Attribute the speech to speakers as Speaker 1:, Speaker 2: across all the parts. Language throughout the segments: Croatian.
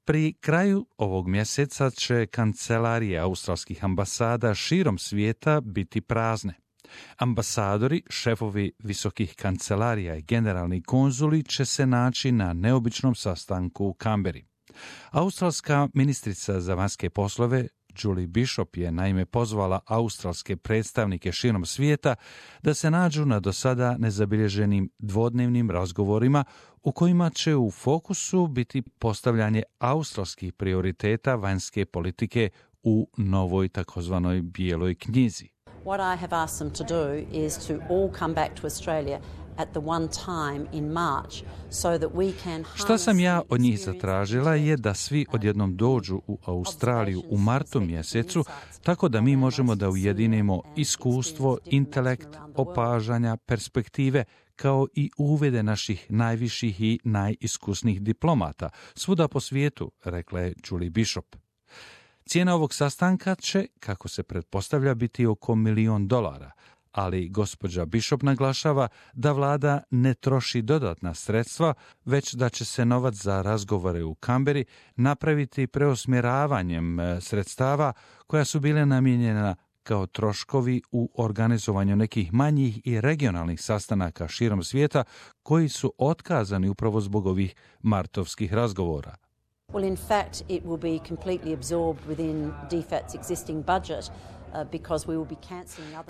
Speaker 1: Pri kraju ovog mjeseca će kancelarije australskih ambasada širom svijeta biti prazne. Ambasadori, šefovi visokih kancelarija i generalni konzuli će se naći na neobičnom sastanku u Kamberi. Australska ministrica za vanjske poslove Julie Bishop je naime pozvala australske predstavnike širom svijeta da se nađu na do sada nezabilježenim dvodnevnim razgovorima u kojima će u fokusu biti postavljanje australskih prioriteta vanjske politike u novoj takozvanoj bijeloj knjizi.
Speaker 2: What I have asked them to do is to all come back to Australia at the one time in March so that we can.
Speaker 1: Šta sam ja od njih zatražila je da svi odjednom dođu u Australiju u martu mjesecu, tako da mi možemo da ujedinimo iskustvo, intelekt, opažanja, perspektive, kao i uvede naših najviših i najiskusnijih diplomata svuda po svijetu, rekla je Julie Bishop. Cijena ovog sastanka će, kako se pretpostavlja, biti oko $1 milion, ali gospođa Bishop naglašava da vlada ne troši dodatna sredstva, već da će se novac za razgovore u Kamberi napraviti preusmjeravanjem sredstava koja su bile namijenjena kao troškovi u organizovanju nekih manjih i regionalnih sastanaka širom svijeta koji su otkazani upravo zbog ovih martovskih razgovora.
Speaker 2: Well, in fact, it will be completely absorbed within DFAT's existing budget.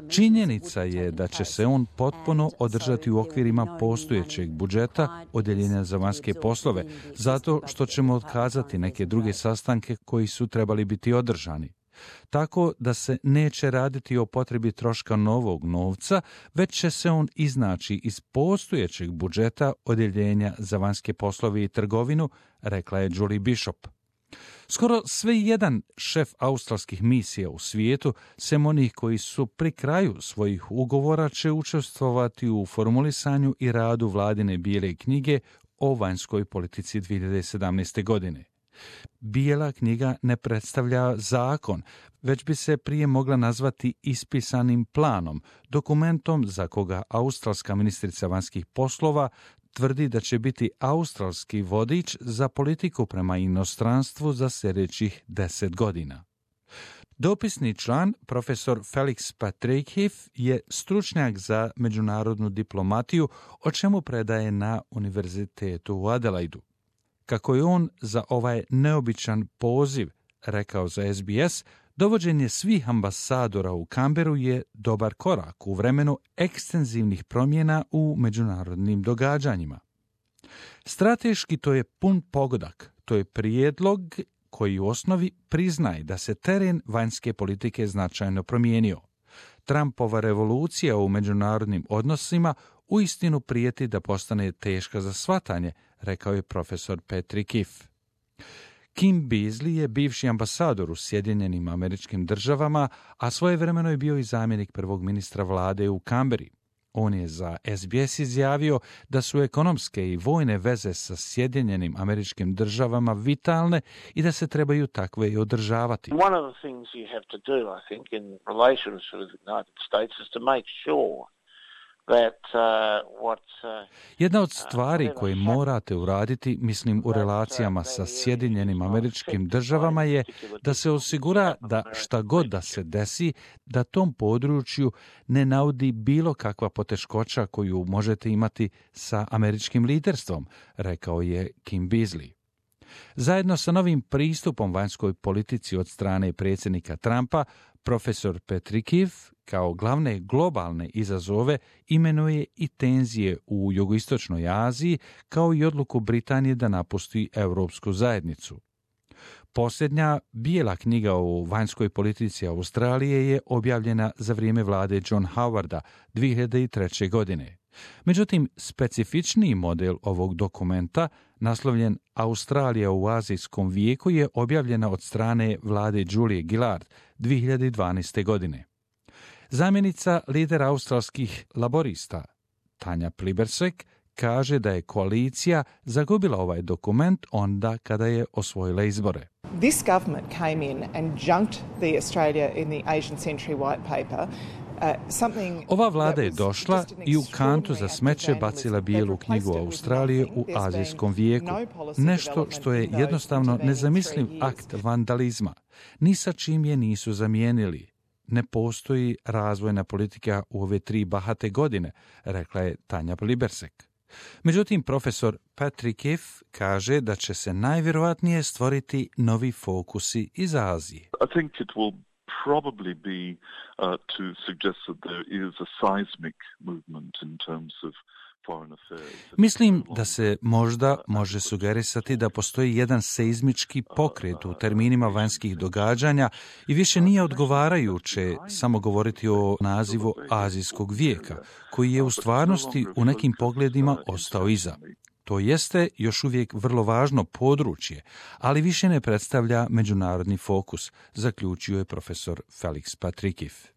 Speaker 1: Činjenica je da će se on potpuno održati u okvirima postojećeg budžeta Odjeljenja za vanjske poslove, zato što ćemo otkazati neke druge sastanke koji su trebali biti održani. Tako da se neće raditi o potrebi troška novog novca, već će se on iznaći iz postojećeg budžeta Odjeljenja za vanjske poslove i trgovinu, rekla je Julie Bishop. Skoro sve jedan šef australskih misija u svijetu, sem onih koji su pri kraju svojih ugovora, će učestvovati u formulisanju i radu vladine bijele knjige o vanjskoj politici 2017. godine. Bijela knjiga ne predstavlja zakon, već bi se prije mogla nazvati ispisanim planom, dokumentom za koga australska ministrica vanjskih poslova tvrdi da će biti australski vodič za politiku prema inostranstvu za sljedećih 10 godina. Dopisni član, profesor Felix Patrickheff, je stručnjak za međunarodnu diplomatiju, o čemu predaje na Univerzitetu u Adelaidu. Kako je on za ovaj neobičan poziv rekao za SBS, dovođenje svih ambasadora u Kamberu je dobar korak u vremenu ekstenzivnih promjena u međunarodnim događanjima. Strateški to je pun pogodak, to je prijedlog koji u osnovi priznaje da se teren vanjske politike značajno promijenio. Trumpova revolucija u međunarodnim odnosima uistinu prijeti da postane teška za shvatanje, rekao je profesor Patrickheff. Kim Beazley je bivši ambasador u Sjedinjenim Američkim Državama, a svojevremeno je bio i zamjenik prvog ministra vlade u Kamberi. On je za SBS izjavio da su ekonomske i vojne veze sa Sjedinjenim Američkim Državama vitalne i da se trebaju takve i održavati.
Speaker 3: One of the things you have to do, I think, in relations with the United States is to make sure
Speaker 1: Jedna od stvari koje morate uraditi, mislim u relacijama sa Sjedinjenim Američkim Državama, je da se osigura da šta god da se desi, da tom području ne naudi bilo kakva poteškoća koju možete imati sa američkim liderstvom, rekao je Kim Beazley. Zajedno sa novim pristupom vanjskoj politici od strane predsjednika Trumpa, profesor Patrickheff kao glavne globalne izazove imenuje i tenzije u jugoistočnoj Aziji, kao i odluku Britanije da napusti Europsku zajednicu. Posljednja bijela knjiga o vanjskoj politici Australije je objavljena za vrijeme vlade John Howarda 2003. godine. Međutim, specifičniji model ovog dokumenta, naslovljen Australija u azijskom vijeku, je objavljena od strane vlade Julie Gillard 2012. godine. Zamjenica lidera australskih laborista, Tanja Plibersek, kaže da je koalicija zagubila ovaj dokument onda kada je osvojila izbore.
Speaker 4: This government came in and junked the Australia in the Asian Century White Paper
Speaker 1: Ova vlada je došla i u kantu za smeće bacila bijelu knjigu Australije u azijskom vijeku. Nešto što je jednostavno nezamisliv akt vandalizma. Ni sa čim je nisu zamijenili. Ne postoji razvojna politika u ove 3 bahate godine, rekla je Tanja Libersek. Međutim, profesor Patrick Iff kaže da će se najvjerojatnije stvoriti novi fokusi iz Azije.
Speaker 4: I think it will probably be to suggest that there is a seismic movement in terms of foreign affairs.
Speaker 1: Mislim da se možda može sugerisati da postoji jedan seizmički pokret u terminima vanjskih događanja i više nije odgovarajuće samo govoriti o nazivu azijskog vijeka, koji je u stvarnosti u nekim pogledima ostao iza. To jeste još uvijek vrlo važno područje, ali više ne predstavlja međunarodni fokus, zaključio je profesor Felix Patrick Iff.